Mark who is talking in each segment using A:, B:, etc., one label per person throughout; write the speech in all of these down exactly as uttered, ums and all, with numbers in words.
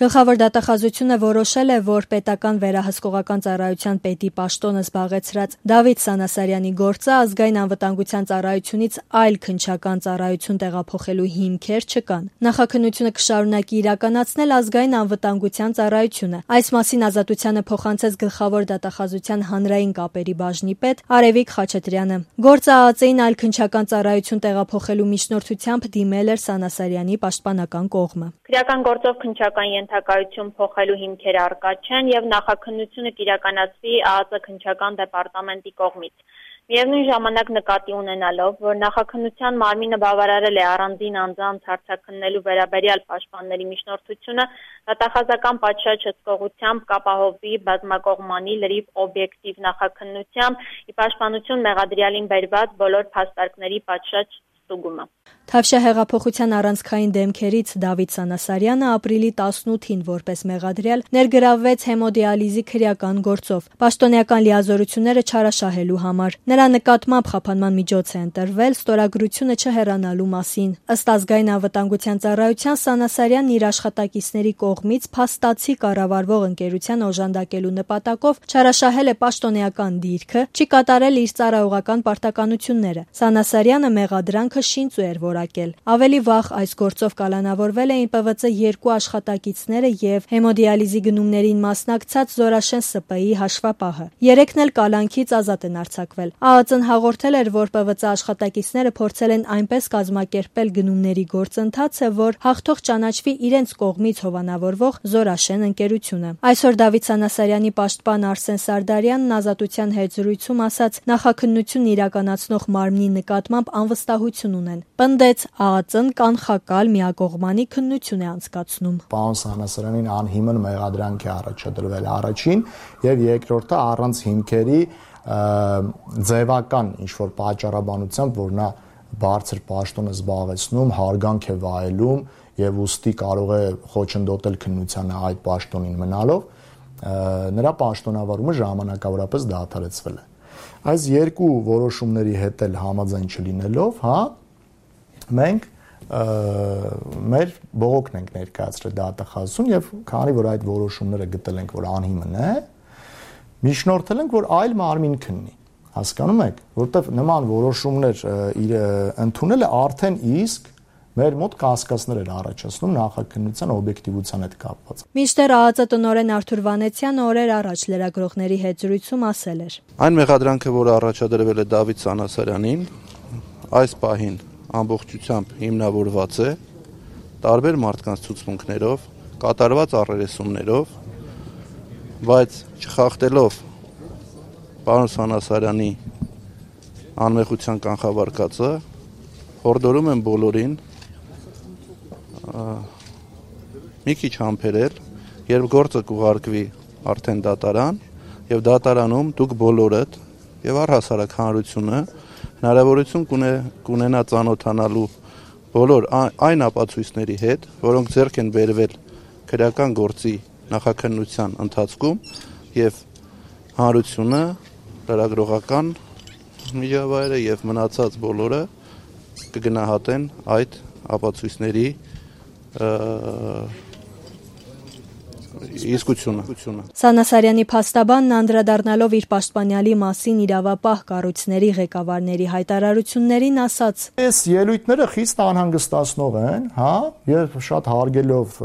A: Գլխավոր դատախազությունը որոշել է, որ պետական վերահսկողական ծառայության պետի պաշտոնը զբաղեցրած Դավիթ Սանասարյանի գործը ազգային անվտանգության ծառայությունից այլ քննչական ծառայություն տեղափոխելու հիմքեր չկան։ Նախաքննությունը կշարունակի իրականացնել ազգային անվտանգության ծառայությունը։ Այս մասին Ազատությանը փոխանցեց գլխավոր դատախազության հանրային կապերի բաժնի պետ Արևիկ Խաչատրյանը։ Գործը ԱԱԾ-ին այլ քննչական ծառայություն տեղափոխելու միջնորդությամբ դիմել էր Սանասարյանի պաշտպանական կողմը։
B: Քրեական գործով քննչական ենթակայություն փոխելու հիմքեր առկա չեն եւ նախաքննությունը կիրականացվի ԱԱԾ քննչական դեպարտամենտի կողմից։ Միևնույն ժամանակ նկատի ունենալով, որ նախաքննության մարմինը բավարարել է առանձին անձանց հարցաքննելու վերաբերյալ պաշտպանների միջնորդությունը, դատախազական պատշաճ հսկողությամբ կապահովվի բազմակողմանի լրիվ օբյեկտիվ նախաքննությամբ ի պաշտպանություն մեղադրյալին բերված բոլոր փաստարկների պատշաճ ստուգումը։
A: Թավշյա հեղափոխության առանցքային դեմքերից Դավիթ Սանասարյանը ապրիլի տասնութին որպես մեղադրյալ ներգրավվեց հեմոդիալիզի քրեական գործով պաշտոնեական լիազորությունները չարաշահելու համար։ Նրա նկատմամբ խափանման միջոց է ընտրվել ստորագրությունը չհեռանալու մասին։ Ըստ ազգային անվտանգության ծառայության Սանասարյանն իր աշխատակիցների կողմից փաստացի կառավարվող ընկերության օժանդակելու նպատակով չարաշահել է պաշտոնեական դիրքը, չի կատարել իր ծառայողական պարտականությունները։ Սանասարյանը մեղադրանքը շինծու էր որակել։ Ավելի վաղ այս գործով կալանավորվել էին Պ V C երկու աշխատակիցները եւ հեմոդիալիզի գնումներին մասնակցած Զորաշեն Ս Պ I հաշվապահը։ Երեքն էլ կալանքից ազատ են արձակվել։ ԱԱԾ-ն հաղորդել էր, որ Պ V C աշխատակիցները փորձել են այնպես կազմակերպել գնումների գործընթացը, որ հաղթող ճանաչվի իրենց կողմից հովանավորվող Զորաշեն ընկերությունը։ Այսօր Դավիթ Սանասարյանի պաշտպան Արսեն Սարդարյանն Ազատության հետ զրույցում ասաց, նախաքննությունն իրականացնող մարմնի նկատմամբ անվստահություն ունեն։ Պնդեց, ԱԱԾ-ն կանխակալ միակողմանի քննություն է անցկացնում։
C: Պարոն Սանասարյանին անհիմն մեղադրանք է առաջադրվել առաջին եւ երկրորդը առանց հիմքերի ձևական ինչ-որ պատճառաբանությամբ, որ նա բարձր պաշտոն է զբաղեցնում, հարգանք է վայելում եւ ուստի կարող է խոչընդոտել քննությանը այդ պաշտոնին մնալով, նրա պաշտոնավարումը ժամանակավորապես դադարեցվել է։ Այս երկու որոշումների հետ էլ համաձայն չլինելով, հա, մենք մեր բողոքն ենք ներկայացրել դատախազություն եւ քանի որ այդ որոշումները գտել ենք, որ անհիմն է, միջնորդել ենք, որ այլ մարմին քննի։ Հասկանում եք, որտեվ նման որոշումներ իր ընդունելը արդեն իսկ մեր մոտ կասկածներ էր առաջացնում նախաքննության օբյեկտիվության հետ կապված։
A: Մինչդեռ ԱԱԾ տնօրեն Արթուր Վանեցյանը օրեր առաջ լրագրողների հետ զրույցում ասել էր.
D: Այն մեղադրանքը, որը առաջադրվել է Դավիթ Սանասարյանին, այս պահին ամբողջությամբ հիմնավորված է տարբեր մարդկանց ցուցմունքներով, կատարված առերեսումներով, բայց չխախտելով պարոն Սանասարյանի անմեղության կանխավարկածը, հորդորում եմ բոլորին մի քիչ համբերել, երբ գործը կուղարկվի արդեն դատարան, եւ դատարանում դուք բոլորդ եւ առհասարակ հանրությունը հնարավորություն կունենա ծանոթանալու բոլոր այն ապացույցների հետ, որոնք ձեռք են բերվել քրեական գործի նախաքննության ընթացքում եւ հանրությունը, լրագրողական միջավայրը եւ մնացած բոլորը կգնահատեն այդ ապացույցների իսկությունը։
A: Սանասարյանի փաստաբանն անդրադառնալով իր պաշտպանյալի մասին իրավապահ կառույցների ղեկավարների հայտարարություններին ասաց.
C: Այս ելույթները խիստ անհանգստացնող են, հա, եւ շատ հարգելով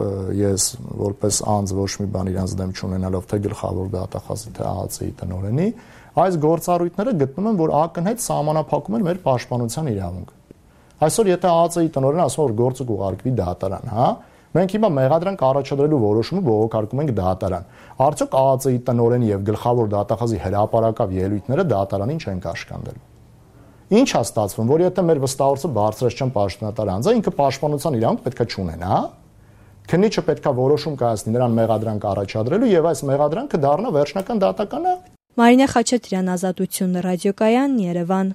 C: ես որպես անձ ոչ մի բան իրանց դեմ չունենալով թե գլխավոր դատախազի թե ԱԱԾ-ի տնօրենի, այս գործառույթները գտնում են, որ ակնհայտ սահմանափակում են մեր պաշտպանության իրավունքը։ Այսօր եթե ԱԱԾ-ի տնօրենը ասում է, որ գործը կուղարկվի դատարան, հա, մենք հիմա մեղադրանք առաջադրելու որոշումը բողոքարկում ենք դատարան։ Արդյոք ԱԱԾ-ի տնօրենի եւ գլխավոր դատախազի հրապարակավ ելույթները դատարանին չեն կաշկանդելու։ Ինչ է ստացվում, որ եթե մեր վստահորդը բարձրացչան պաշտոնատար անձը, ինքը պաշտպանության իրավունք պետքա չունենա, քննիչը պետքա որոշում կայացնի նրան մեղադրանք առաջադրելու եւ այս մեղադրանքը դառնա վերջնական դատական ակտ։
A: Մարինե Խաչատրյան, Ազատություն, ռադիոկայան, Երևան։